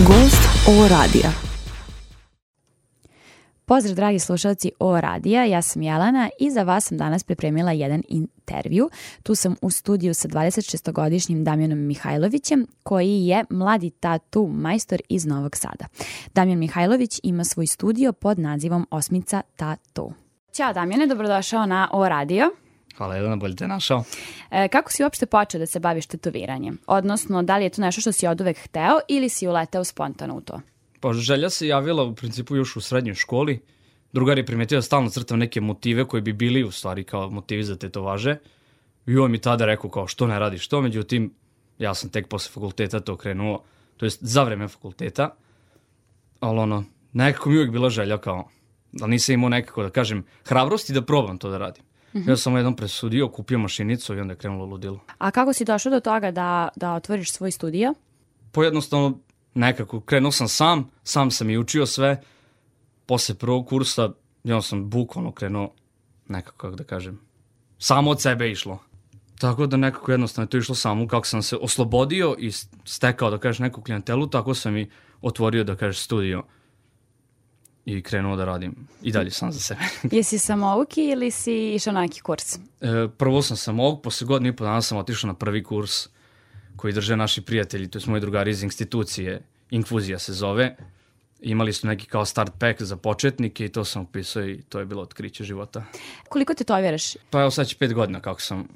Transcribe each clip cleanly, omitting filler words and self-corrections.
Gost O radija. Pozdrav dragi slušalci O radija, ja sam Jelena i za vas sam danas pripremila jedan intervju. Tu sam u studiju sa 26-godišnjim Damjanom Mihajlovićem, koji je mladi tatu majstor iz Novog Sada. Damjan Mihajlović ima svoj studio pod nazivom Osmica Tattoo. Ćao Damjane, dobrodošao na O radio. Hvala Jelena, bolje te našao. Kako si uopšte počeo da se baviš tetoviranjem? Odnosno, da li je to nešto što si oduvek hteo ili si uleteo spontano u to? Pa želja se javila u principu još u srednjoj školi. Drugar je primetio da stalno crtam neke motive koji bi bili u stvari kao motivi za tetovaže. I on mi tada rekao kao što ne radiš to, međutim ja sam tek posle fakulteta to krenuo, to jest za vreme fakulteta. Ali nekako mi uvijek bila želja kao, da nisam imao nekako da kažem hrabrosti da probam to da radim. Ja sam jednom presudio, kupio mašinicu i onda je krenulo ludilo. A kako si došao do toga da otvoriš svoj studio? Jednostavno nekako krenuo sam sam i učio sve. Posle prvog kursa ja sam bukvalno krenuo nekako, kako da kažem, samo od sebe išlo. Tako da nekako jednostavno je to išlo samo, kako sam se oslobodio i stekao, da kažeš, neku klijentelu, tako sam i otvorio, da kažeš, studio i krenuo da radim i dalje sam za sebe. Jesi samouki ili si išao na neki kurs? Prvo sam samouk, posle godinu i po dana sam otišao na prvi kurs koji drže naši prijatelji, to je moji drugari iz institucije, Infuzija se zove. Imali su neki kao start pack za početnike i to sam upisao i to je bilo otkriće života. Koliko tetoviraš? Pa evo sad će 5 godina kako sam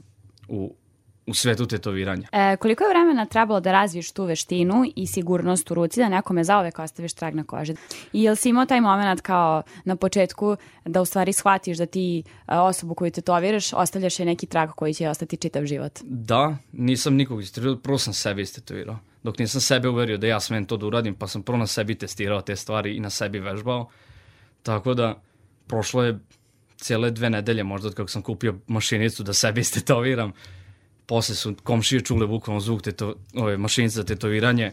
u svetu tetoviranja. Koliko je vremena trebalo da razviješ tu veštinu i sigurnost u ruci da nekome zauvek ostaviš trag na koži? I jel si imao taj moment kao na početku da u stvari shvatiš da ti osobu koju tetoviraš ostavljaš je neki trag koji će ostati čitav život? Da, nisam nikog istetovirao, prvo sam sebe istetovirao. Dok nisam sebe uverio da ja smem to da uradim, pa sam prvo na sebi testirao te stvari i na sebi vežbao. Tako da prošlo je cijele 2 nedelje možda od kako sam kupio mašinicu da sebi istetoviram. Posle su komšije čule bukvalno zvuk mašinice za tetoviranje,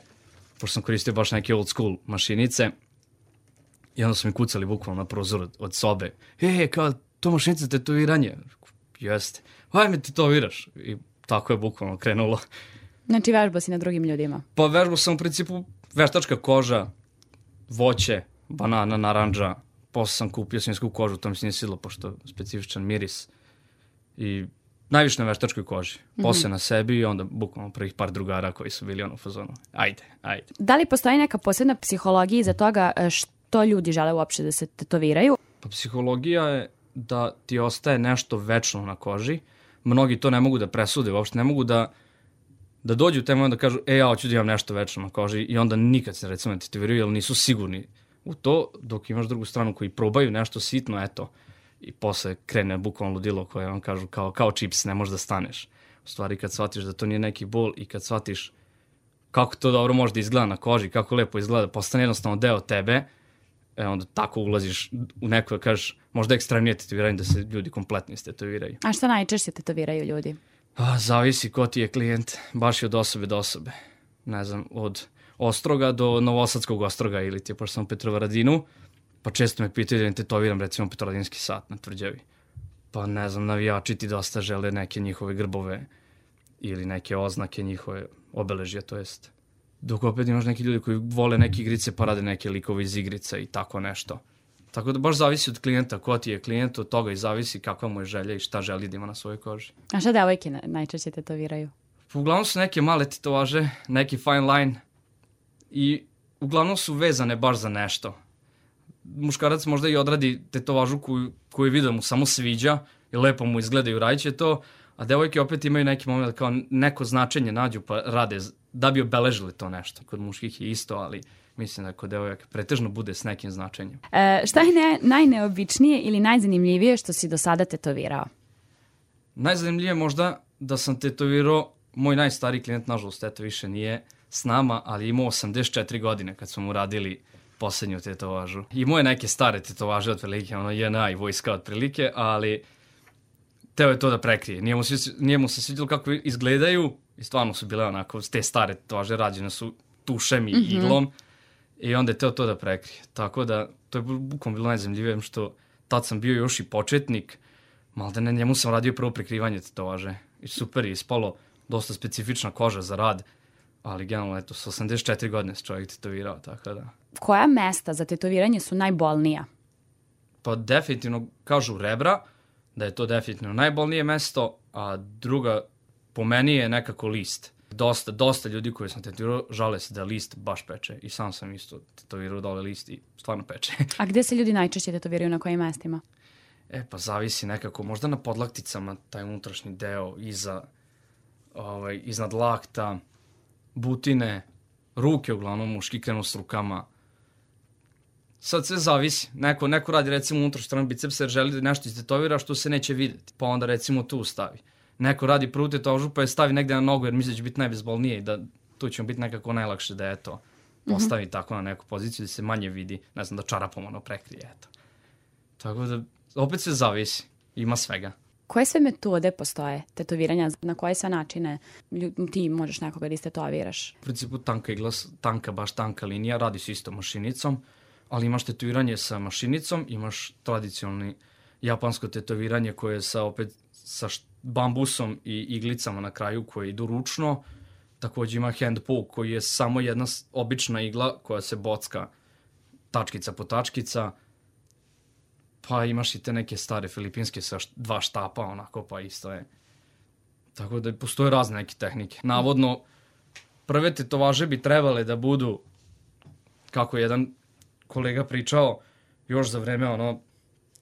pošto sam koristio baš neke old school mašinice. I onda su mi kucali bukvalno na prozor od sobe. Kao to mašnica za tetoviranje? Jeste. Ajme tetoviraš. I tako je bukvalno krenulo. Znači vežbao si na drugim ljudima? Pa vežbao sam u principu veštačka koža, voće, banana, naranđa. Posle sam kupio svinjsku kožu, to mi se nije svidlo pošto je specifičan miris. I najviše na veštačkoj koži. Posle na sebi i onda bukvalno prvih par drugara koji su bili u fazonu. Ajde. Da li postoji neka posebna psihologija iza toga što ljudi žele uopšte da se tetoviraju? Pa psihologija je da ti ostaje nešto večno na koži. Mnogi to ne mogu da presude, uopšte ne mogu da dođu u taj moment da kažu ja hoću da imam nešto večno na koži i onda nikad se recimo ne tetoviraju jer nisu sigurni u to, dok imaš drugu stranu koji probaju nešto sitno, eto, i posle krene bukvalno ludilo koje vam kažu kao čips, ne možeš da staneš. U stvari kad shvatiš da to nije neki bol i kad shvatiš kako to dobro može da izgleda na koži, kako lepo izgleda, postane jednostavno deo tebe, onda tako ulaziš u neko, kažeš, možda ekstremnije tetoviranje da se ljudi kompletno istetoviraju. A šta najčešće tetoviraju ljudi? Zavisi ko ti je klijent, baš i od osobe do osobe. Ne znam, od Ostroga do Novosadskog Ostroga ili ti je pošto sam u Petrovaradinu, pa često me pitaju da im tetoviram recimo Petrovaradinski sat na tvrđavi. Pa ne znam, navijači ti dosta žele neke njihove grbove ili neke oznake njihove obeležja, to jest. Dok opet imaš neki ljudi koji vole neke igrice pa rade neke likove iz igrica i tako nešto. Tako da baš zavisi od klijenta, ko ti je klijent, od toga i zavisi kakva mu je želja i šta želi da ima na svojoj koži. A šta devojke najčešće tetoviraju? Uglavnom su neke male tetovaže, neki fine line i uglavnom su vezane baš za nešto. Muškarac možda i odradi tetovažu koju vidi da mu samo sviđa i lepo mu izgleda i uradit će to, a devojke opet imaju neki moment da kao neko značenje nađu pa rade da bi obeležili to nešto. Kod muških je isto, ali mislim da kod devojaka pretežno bude s nekim značenjem. Šta je najneobičnije ili najzanimljivije što si do sada tetovirao? Najzanimljivije možda da sam tetovirao, moj najstariji klijent, nažalost, eto više nije s nama, ali imao 84 godine kad smo mu radili poslednju tetovažu. Imao je neke stare tetovaže otprilike, JNA i vojska otprilike, ali teo je to da prekrije. Nije mu se svidjelo kako izgledaju i stvarno su bile onako, te stare tetovaže rađene su tušem i iglom i onda je teo to da prekrije. Tako da, to je bukvalno bilo najzanimljivije što tad sam bio još i početnik, maltene njemu sam radio prvo prekrivanje tetovaže i super je ispalo, dosta specifična koža za rad. Ali generalno, eto, s 84 godine se čovjek tetovirao, tako da. Koja mesta za tetoviranje su najbolnija? Pa definitivno kažu rebra, da je to definitivno najbolnije mesto, a druga po meni je nekako list. Dosta ljudi koji sam tetovirao žale se da list baš peče. I sam sam isto tetovirao dole list i stvarno peče. A gde se ljudi najčešće tetoviraju, na kojim mestima? Pa zavisi nekako, možda na podlakticama, taj unutrašnji deo, iznad lakta, butine, ruke uglavnom, muški krenu s rukama. Sad sve zavisi. Neko radi recimo unutrašnju stranu bicepsa jer želi da nešto istetovira što se neće vidjeti, pa onda recimo tu stavi. Neko radi prvu tetovažu pa je stavi negde na nogu jer misli da će biti najbezbolnije i da tu će mu biti nekako najlakše da eto postavi tako na neku poziciju da se manje vidi, ne znam, da čarapom ono prekrije, eto. Tako da opet sve zavisi, ima svega. Koje sve metode postoje tetoviranja, na koje sve načine ti možeš nekoga da istetoviraš? U principu tanka igla, baš tanka linija, radi se isto mašinicom, ali imaš tetoviranje sa mašinicom, imaš tradicionalni japansko tetoviranje koje je sa bambusom i iglicama na kraju koje idu ručno. Također ima hand poke koji je samo jedna obična igla koja se bocka tačkica po tačkica. Pa imaš i te neke stare filipinske sa 2 štapa, onako, pa isto je. Tako da postoje razne neke tehnike. Navodno, prve tetovaže bi trebale da budu, kako jedan kolega pričao, još za vreme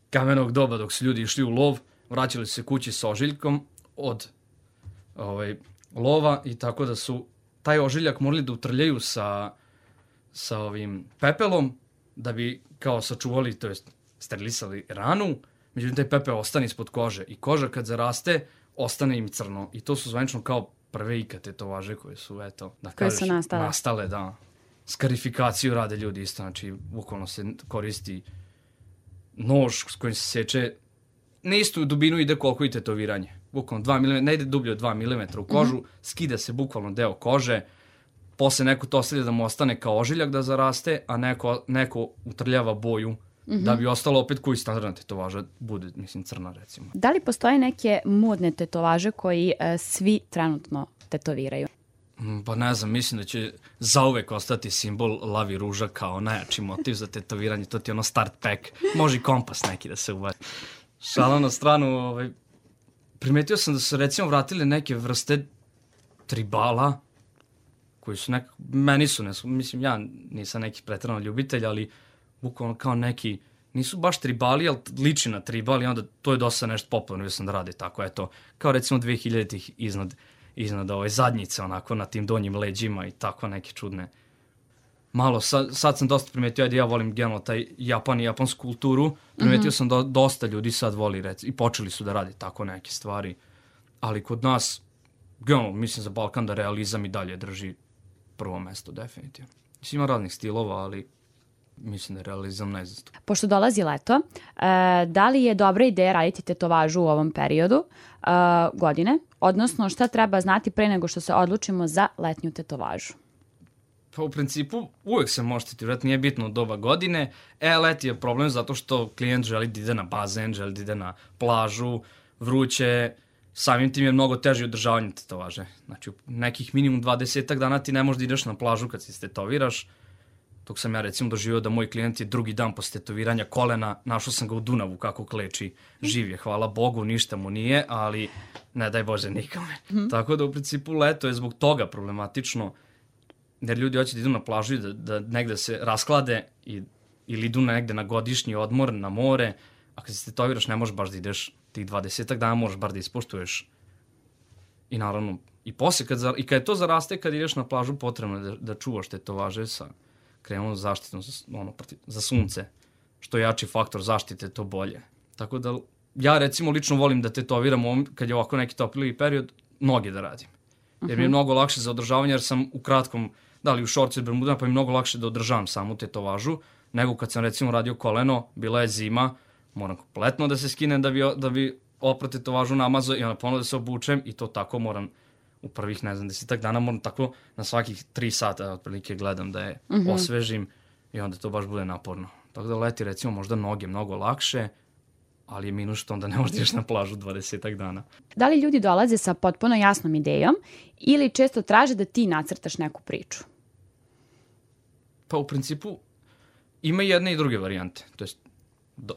kamenog doba dok su ljudi išli u lov, vraćali se kući sa ožiljkom od lova i tako da su taj ožiljak morali da utrljaju sa ovim pepelom da bi kao sačuvali, to jest sterilisali ranu, međutim taj pepeo ostane ispod kože i koža kad zaraste ostane im crno i to su zvanično kao prve ikad tetovaže koje su, eto, da kažeš, nastale, da. Skarifikaciju rade ljudi isto, znači bukvalno se koristi nož s kojim se seče, na istu dubinu ide koliko i tetoviranje, bukvalno 2 mm, ne ide dublje od 2 mm u kožu, skida se bukvalno deo kože, posle neko to ostavlja da mu ostane kao ožiljak da zaraste, a neko utrljava boju da bi ostalo opet koji standardna tetovaža bude, mislim, crna recimo. Da li postoje neke modne tetovaže koji svi trenutno tetoviraju? Pa ne znam, mislim da će zauvek ostati simbol lavi ruža kao najjači motiv za tetoviranje, to ti je start pack, može i kompas neki da se ubaci. Šala na stranu, primetio sam da su recimo vratili neke vrste tribala, koji su meni su, mislim, ja nisam neki preterano ljubitelj, ali bukvalno kao neki, nisu baš tribali, ali liči na tribali, onda to je dosta nešto popularno, sam da radi tako, eto, kao recimo 2000-ih iznad zadnjice, onako, na tim donjim leđima i tako neke čudne. Malo, sad sam dosta primetio, ja volim generalno taj japansku kulturu, primetio sam da dosta ljudi sad voli, i počeli su da radi tako neke stvari, ali kod nas, generalno, mislim za Balkan da realizam i dalje drži prvo mesto, definitivno. Mislim, ima raznih stilova, ali mislim da je realizam najzastup. Pošto dolazi leto, da li je dobra ideja raditi tetovažu u ovom periodu godine? Odnosno, šta treba znati pre nego što se odlučimo za letnju tetovažu? Pa u principu uvek se može tetovirati, nije bitno od doba godine. Leti je problem zato što klijent želi da ide na bazen, želi da ide na plažu, vruće, samim tim je mnogo teže održavanje tetovaže. Znači, u nekih minimum 20 dana ti ne možeš da ideš na plažu kad se tetoviraš. Dok sam ja recimo doživio da moj klijent je drugi dan posle tetoviranja kolena, našao sam ga u Dunavu kako kleči, živ je, hvala Bogu, ništa mu nije, ali ne daj Bože nikome. Tako da u principu leto je zbog toga problematično, jer ljudi hoće da idu na plažu i da negde se rasklade ili idu negde na godišnji odmor, na more, a kad se tetoviraš ne možeš baš da ideš tih 20 dana, možeš bar da ispoštuješ. I naravno, i posle, kad je to zaraste, kad ideš na plažu, potrebno je da čuvaš tetovaže sa krenuo zaštitom za sunce. Što je jači faktor zaštite, to bolje. Tako da ja recimo lično volim da tetoviram kad je ovako neki topliji period, noge da radim. Jer mi je mnogo lakše za održavanje, jer sam u kratkom, da li u šorcu ili bermudama, pa mi je mnogo lakše da održavam samu tetovažu, nego kad sam recimo radio koleno, bila je zima, moram kompletno da se skinem da bi opro tetovažu namazao i onda ponovno da se obučem i to tako moram u prvih, 10 dana moram tako na svakih 3 sata otprilike gledam da je osvežim i onda to baš bude naporno. Tako da leti recimo možda noge mnogo lakše, ali je minus što onda ne možeš da ideš na plažu 20 dana. Da li ljudi dolaze sa potpuno jasnom idejom ili često traže da ti nacrtaš neku priču? Pa u principu ima jedne i druge varijante, to jest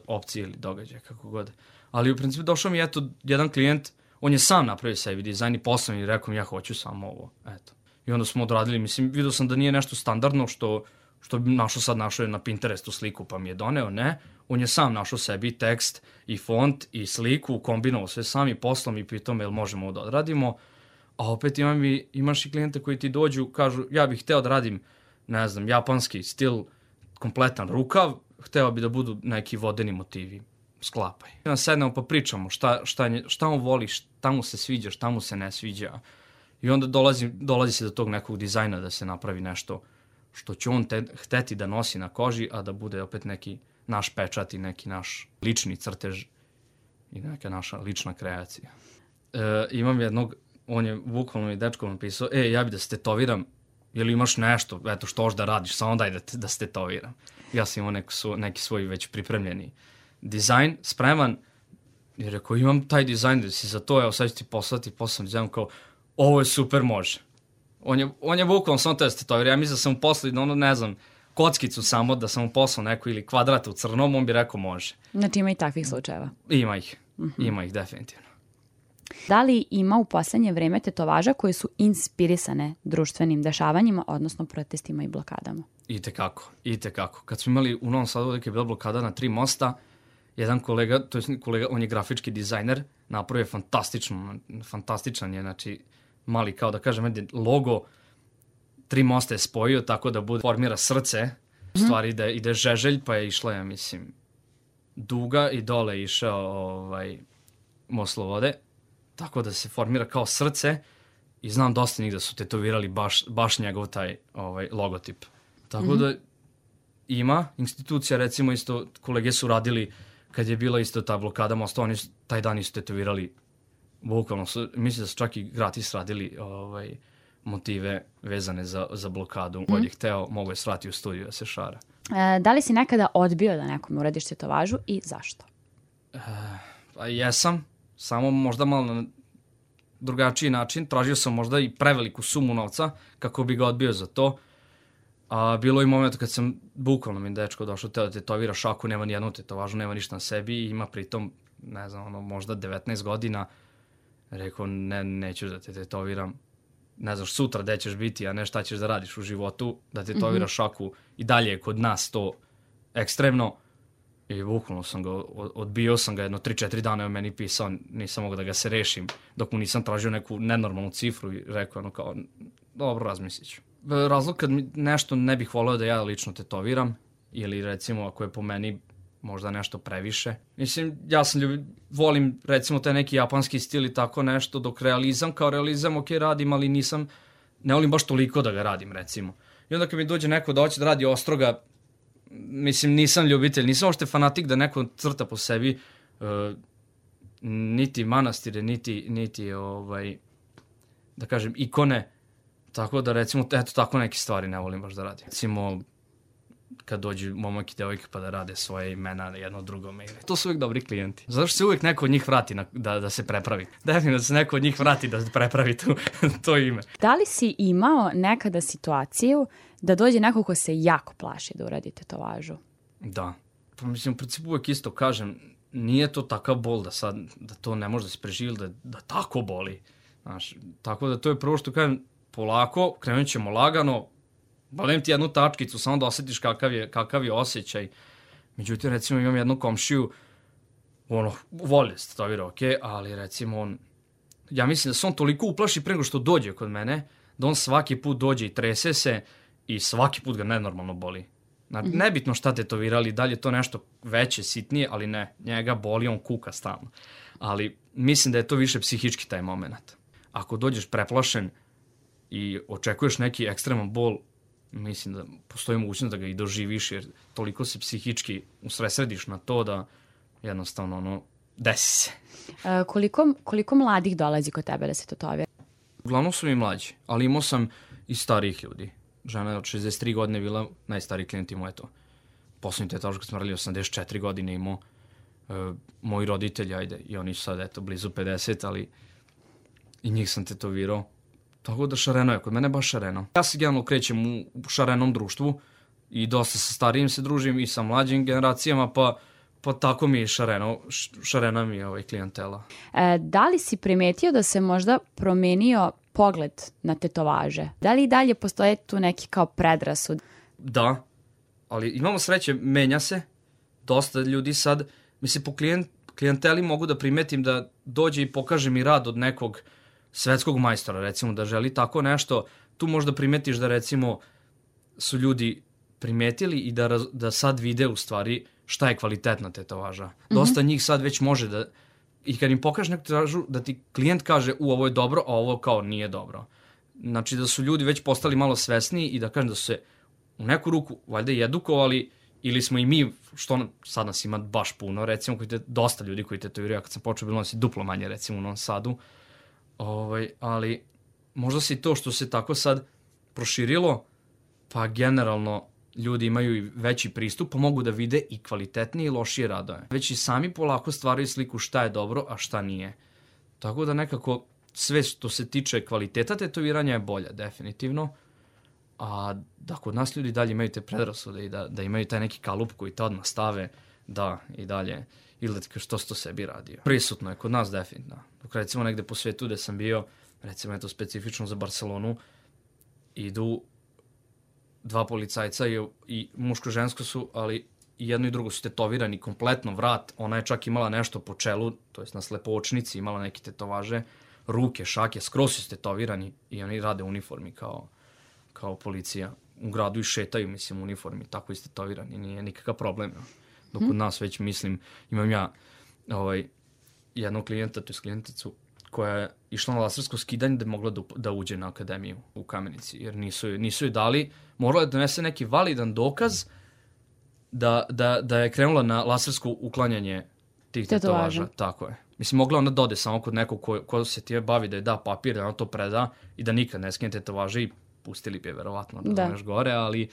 opcije ili događaje, kako god. Ali u principu došao mi jedan klijent, on je sam napravio sebi dizajn i poslao mi i rekao mi ja hoću samo ovo, eto. I onda smo odradili, mislim, vidio sam da nije nešto standardno što bi našao je na Pinterestu sliku pa mi je doneo, ne. On je sam našao sebi tekst i font i sliku, kombinovao sve sam i poslao mi i pitao me jel možemo ovo da odradimo. A opet imaš i klijente koji ti dođu, kažu ja bih hteo da radim, ne znam, japanski stil, kompletan rukav, hteo bi da budu neki vodeni motivi, sklapaj. Sednemo pa pričamo šta on voli, šta mu se sviđa, šta mu se ne sviđa. I onda dolazi se do tog nekog dizajna da se napravi nešto što će on hteti da nosi na koži, a da bude opet neki naš pečat i neki naš lični crtež i neka naša lična kreacija. Imam jednog, on je bukvalno i dečko napisao, ja bi da se tetoviram, jel imaš nešto, eto što hoš da radiš, samo daj da se tetoviram. Ja sam imao neki svoj već pripremljeni dizajn, spreman, i rekao, imam taj dizajn da si za to, evo sad ću ti poslati, poslao dizajn kao, ovo je super, može. On je bukvalno samo to da se tetovira, ja mislim da sam mu poslao, ne znam, kockicu samo, da sam mu poslao neku ili kvadrat u crnom, on bi rekao može. Znači ima i takvih slučajeva? Ima ih definitivno. Da li ima u poslednje vreme tetovaža koje su inspirisane društvenim dešavanjima, odnosno protestima i blokadama? Itekako. Kad smo imali u Novom Sadu dok je bila blokada na 3 mosta, jedan kolega, on je grafički dizajner, napravio fantastičan je, znači mali, kao da kažem, logo, 3 mosta je spojio tako da formira srce, u stvari ide žeželj, pa je išla, ja mislim, duga i dole je išao most Slobode, tako da se formira kao srce i znam dosta njih da su tetovirali baš njegov taj logotip. Tako da ima institucija, recimo isto kolege su radili kad je bila isto ta blokada mosta, oni taj dan isto tetovirali, bukvalno su, mislim da su čak i gratis radili motive vezane za blokadu. Ko je hteo, mogo je svrati u studiju da se šara. Da li si nekada odbio da nekom uradiš tetovažu i zašto? Pa jesam, samo možda malo na drugačiji način. Tražio sam možda i preveliku sumu novca kako bi ga odbio za to. A bilo je moment kad sam bukvalno mi dečko došao teo da tetovira šaku, nema nijednu tetovažu, nema ništa na sebi i ima pritom, ne znam, možda 19 godina. Rekao, neću da te tetoviram. Ne znaš sutra gde ćeš biti, a ne šta ćeš da radiš u životu, da tetoviraš šaku i dalje je kod nas to ekstremno. I bukvalno sam ga, odbio sam ga jedno 3-4 dana je o meni pisao, nisam mogao da ga se rešim, dok mu nisam tražio neku nenormalnu cifru i rekao kao, dobro, razmislit ću. Razlog kad mi nešto ne bih voleo da ja lično tetoviram, ili recimo ako je po meni možda nešto previše. Mislim, ja volim recimo taj neki japanski stil i tako nešto, dok kao realizam ok radim, ali ne volim baš toliko da ga radim recimo. I onda kad mi dođe neko da hoće da radi ostroga, mislim, nisam ljubitelj, nisam ošte fanatik da neko crta po sebi niti manastire, niti da kažem, ikone, tako da recimo, eto tako neke stvari ne volim baš da radim. Recimo, kad dođu momak i devojka pa da rade svoje imena na jedno drugome. To su uvijek dobri klijenti. Zato što se uvijek neko od njih vrati da se prepravi. Definitivno da se neko od njih vrati da se prepravi to ime. Da li si imao nekada situaciju da dođe neko ko se jako plaši da uradi tetovažu? Da. Pa mislim, u principu uvijek isto kažem, nije to takav bol da to ne može da se preživi, da tako boli. Znaš, tako da to je prvo što kažem, polako, krenut ćemo lagano, Balim ti jednu tačkicu, samo da osjetiš kakav je osjećaj. Međutim, recimo, imam jednu komšiju, voli se tetovira, ali recimo ja mislim da se on toliko uplaši pre nego što dođe kod mene, da on svaki put dođe i trese se i svaki put ga nenormalno boli. Nebitno šta tetovirali, da li je to nešto veće, sitnije, ali ne, njega boli, on kuka stalno. Ali mislim da je to više psihički taj moment. Ako dođeš preplašen i očekuješ neki ekstreman bol, mislim da postoji mogućnost da ga i doživiš, jer toliko se psihički usresrediš na to da jednostavno desi se. Koliko mladih dolazi kod tebe da se tetovira? Uglavnom su i mlađi, ali imao sam i starijih ljudi. Žena od 63 godine bila najstariji klijent, imao je to. Poslednji tetovaž kad smo radili 84 godine imao. moji roditelji, ajde, i oni su sad, eto, blizu 50, ali i njih sam tetovirao. Tako da šareno je, kod mene baš šareno. Ja se generalno krećem u šarenom društvu i dosta sa starijim se družim i sa mlađim generacijama, pa tako mi je šarena mi je klijentela. Da li si primetio da se možda promenio pogled na tetovaže? Da li i dalje postoje tu neki kao predrasud? Da, ali imamo sreće, menja se. Dosta ljudi sad, mislim, po klijenteli mogu da primetim da dođe i pokaže mi rad od nekog svetskog majstora, recimo, da želi tako nešto. Tu možda primetiš da, recimo, su ljudi primetili i da sad vide u stvari šta je kvalitetna tetovaža. Dosta njih sad već može da, i kad im pokažeš neku tetovažu, da ti klijent kaže ovo je dobro, a ovo kao nije dobro. Znači da su ljudi već postali malo svesniji i da kažem da su se u neku ruku valjda i edukovali, ili smo i mi, što sad nas ima baš puno, recimo dosta ljudi koji tetoviraju, kad sam počeo bilo nas i duplo manje, recimo u Novom Sadu, ali možda se i to što se tako sad proširilo, pa generalno ljudi imaju i veći pristup, pa mogu da vide i kvalitetnije i lošije radove. Već i sami polako stvaraju sliku šta je dobro, a šta nije. Tako da nekako sve što se tiče kvaliteta tetoviranja je bolje, definitivno. A da kod nas ljudi dalje imaju te predrasude i da imaju taj neki kalup koji te odmah stave, da, i dalje, ili da ti kaže što si to sebi radio. Prisutno je kod nas definitivno. Dok recimo negde po svetu gde sam bio, recimo eto specifično za Barcelonu, idu dva policajca i muško-žensko su, ali i jedno i drugo su tetovirani kompletno vrat. Ona je čak imala nešto po čelu, to jest na slepočnici imala neke tetovaže, ruke, šake, skroz su tetovirani i oni rade u uniformi kao policija. U gradu i šetaju, mislim, u uniformi, tako istetovirani, nije nikakav problem. Dok od nas već, mislim, imam ja jednog klijenta, to je klijenticu, koja je išla na lasersko skidanje da je mogla da uđe na akademiju u Kamenici, jer nisu joj dali, morala je donese neki validan dokaz da je krenula na lasersko uklanjanje tih tetovaža. Tako je. Mislim, mogla ona dode samo kod nekog ko se ti bavi da je da papir, da ona to preda i da nikad ne skine tetovaže i pustili bi je verovatno da još gore, ali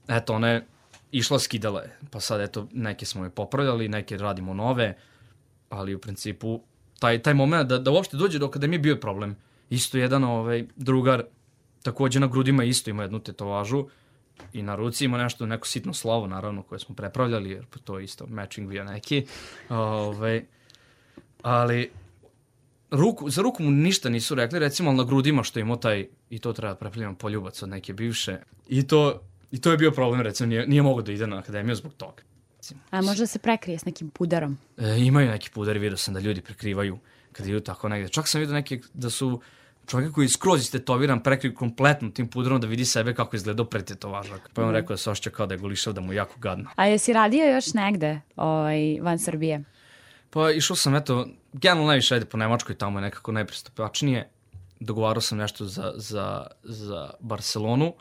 eto, ona je išla, skidala je. Pa sad, eto, neke smo je popravljali, neke radimo nove, ali u principu taj moment da uopšte dođe do akademije bio je problem. Isto jedan drugar, takođe na grudima isto ima jednu tetovažu i na ruci ima neko sitno slovo, naravno, koje smo prepravljali, jer to je isto matching bio neki. Ali za ruku mu ništa nisu rekli, recimo, ali na grudima što imao taj, i to treba prepravljamo poljubac od neke bivše. I to je bio problem, recimo, nije mogao da ide na akademiju zbog toga. A možda se prekrije s nekim pudarom? Imaju neki pudari, vidio sam da ljudi prekrivaju kad idu tako negde. Čak sam vidio neke da su čovjek koji je skroz istetoviran prekriju kompletno tim pudarom da vidi sebe kako izgledao pre tetovaža. Pa je on rekao da se ošća kao da je golišao, da mu je jako gadno. A jesi radio još negde van Srbije? Pa išao sam, eto, generalno najviše ajde po Nemačkoj, tamo je nekako najpristupačnije. Dogovarao sam nešto za Barcelonu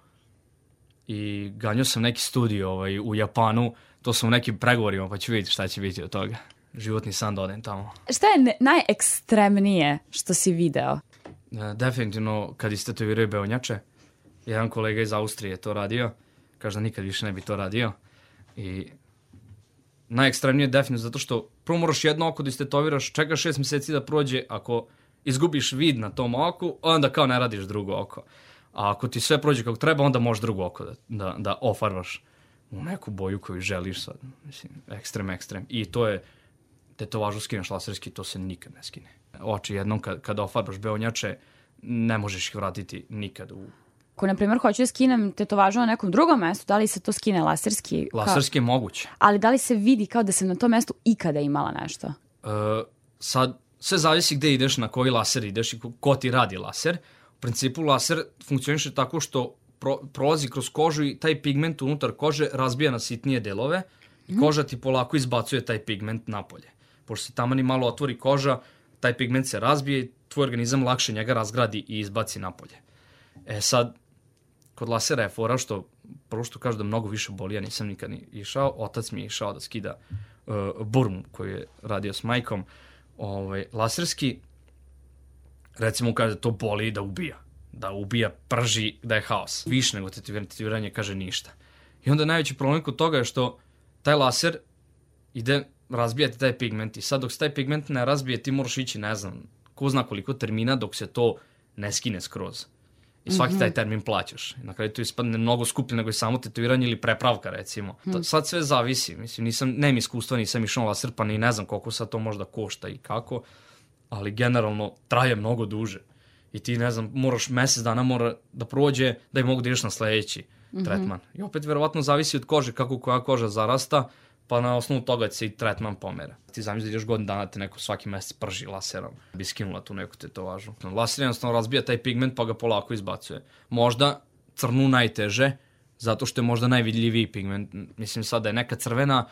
i ganjao sam neki studio u Japanu. To sam u nekim pregovorima, pa ću vidjeti šta će biti od toga. Životni san da odem tamo. Šta je najekstremnije što si video? Definitivno kad istetoviraju beonjače. Jedan kolega iz Austrije je to radio. Kaže da nikad više ne bi to radio. I najekstremnije je definitivno zato što prvo moraš jedno oko da istetoviraš, čekaš 6 meseci da prođe, ako izgubiš vid na tom oku, onda kao ne radiš drugo oko. A ako ti sve prođe kako treba, onda možeš drugo oko da ofarbaš u neku boju koju želiš sad. Mislim, ekstrem. I to je, tetovažu skineš laserski, to se nikad ne skine. Oči jednom kad ofarbaš beonjače, ne možeš ih vratiti nikad u... Ako, na primjer, hoću da skinem tetovažu na nekom drugom mestu, da li se to skine laserski? Laserski je moguće. Ali da li se vidi kao da sam na tom mestu ikada imala nešto? Sad, sve zavisi gde ideš, na koji laser ideš i ko ti radi laser. U principu, laser funkcioniše tako što prolazi kroz kožu i taj pigment unutar kože razbija na sitnije delove i koža ti polako izbacuje taj pigment napolje. Pošto se tamo ni malo otvori koža, taj pigment se razbije i tvoj organizam lakše njega razgradi i izbaci napolje. Sad, kod lasera je fora što, prvo što kažu da mnogo više boli, ja nisam nikad ni išao, otac mi je išao da skida burmu koju je radio s majkom. Laserski, recimo kaže da to boli i da ubija, prži, da je haos. Više nego tetoviranje kaže ništa. I onda najveći problem kod toga je što taj laser ide razbijati taj pigment i sad dok se taj pigment ne razbije ti moraš ići, ne znam, ko zna koliko termina dok se to ne skine skroz. I svaki taj termin plaćaš. I na kraju to ispadne mnogo skuplje nego je samo tetoviranje ili prepravka, recimo. Sad sve zavisi. Mislim, nemam iskustva, nisam išao laser, pa ni ne znam koliko sad to možda košta i kako, ali generalno traje mnogo duže. I ti, ne znam, moraš mesec dana mora da prođe da i mogu da ideš na sledeći tretman. I opet, verovatno, zavisi od kože, kako koja koža zarasta, pa na osnovu toga će se i tretman pomera. Ti zamisli da ideš godinu dana te neko svaki mesec prži laserom, bi skinula tu neku tetovažu. Laser jednostavno razbija taj pigment pa ga polako izbacuje. Možda crnu najteže, zato što je možda najvidljiviji pigment. Mislim sad da je neka crvena,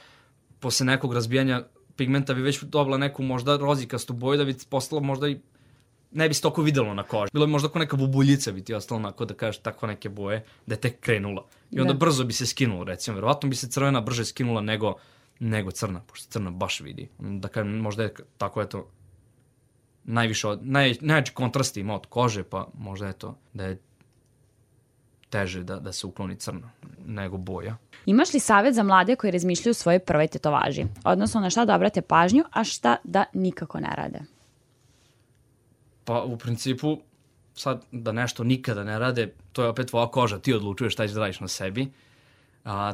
posle nekog razbijanja pigmenta bi već dobila neku možda rozikastu boju, da bi postalo možda i ne bi se toliko videlo na koži. Bilo bi možda kao neka bubuljica bi ti ostalo onako da kažeš takve neke boje, da je tek krenula. I onda brzo bi se skinulo, recimo. Verovatno bi se crvena brže skinula nego crna, pošto crna baš vidi. Da kažem, možda je tako, eto, najveći kontrast ima od kože, pa možda je to da je teže da se ukloni crna nego boja. Imaš li savjet za mlade koji razmišljaju o svojoj prvoj tetovaži? Odnosno na šta da obrate pažnju, a šta da nikako ne rade? Pa u principu, sad da nešto nikada ne rade, to je opet tvoja koža, ti odlučuješ šta ćeš da radiš na sebi.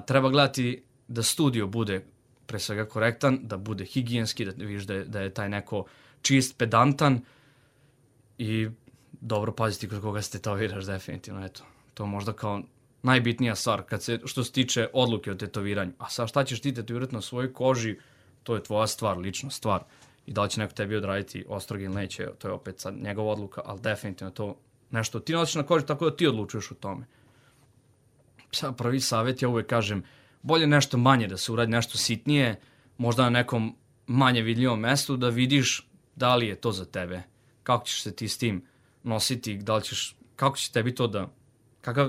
Treba gledati da studio bude pre svega korektan, da bude higijenski, da vidiš da je taj neko čist, pedantan i dobro paziti kod koga se tetoviraš, definitivno, eto. To možda kao najbitnija stvar što se tiče odluke o tetoviranju. A sad šta ćeš ti tetovirati na svojoj koži, to je tvoja stvar, lična stvar. I da li će neko tebi odraditi ostroge ili neće, to je opet sad njegova odluka, ali definitivno to nešto ti nosiš na koži tako da ti odlučuješ o tome. Sad prvi savjet, ja uvek kažem, bolje nešto manje da se uradi, nešto sitnije, možda na nekom manje vidljivom mestu, da vidiš da li je to za tebe. Kako ćeš se ti s tim nositi, kako će tebi to da,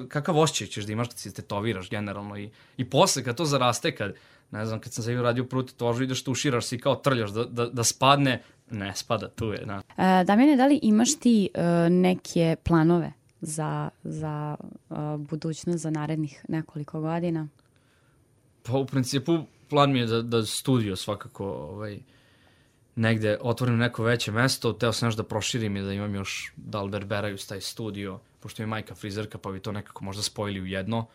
kakav osjećaj ćeš da imaš kad se tetoviraš generalno i posle kad to zaraste, kad sam se uradio prvu tetovažu, ideš tuširaš se i kao trljaš da spadne, ne spada, tu je. Damjane, da li imaš ti neke planove za budućnost, za narednih nekoliko godina? Pa u principu plan mi je da studio svakako negde otvorim neko veće mesto, teo sam još da proširim i da imam još da alberberaju taj studio, pošto je majka frizerka pa bi to nekako možda spojili u jedno.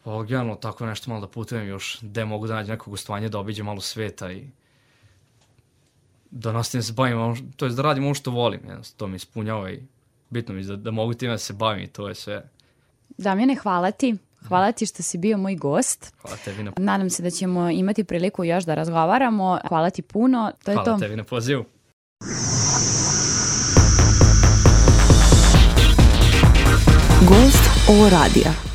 Pa generalno tako nešto malo da putujem još gde mogu da nađem neko gostovanje, da obiđem malo sveta i da nastavim se bavim, to je da radim ono što volim, to mi ispunjava i bitno mi je da mogu time da se bavim i to je sve. Damjane, hvala ti. Hvala ti što si bio moj gost. Hvala tebi na... Nadam se da ćemo imati priliku još da razgovaramo. Hvala ti puno. To je hvala tebi na pozivu. Gost ovo radija.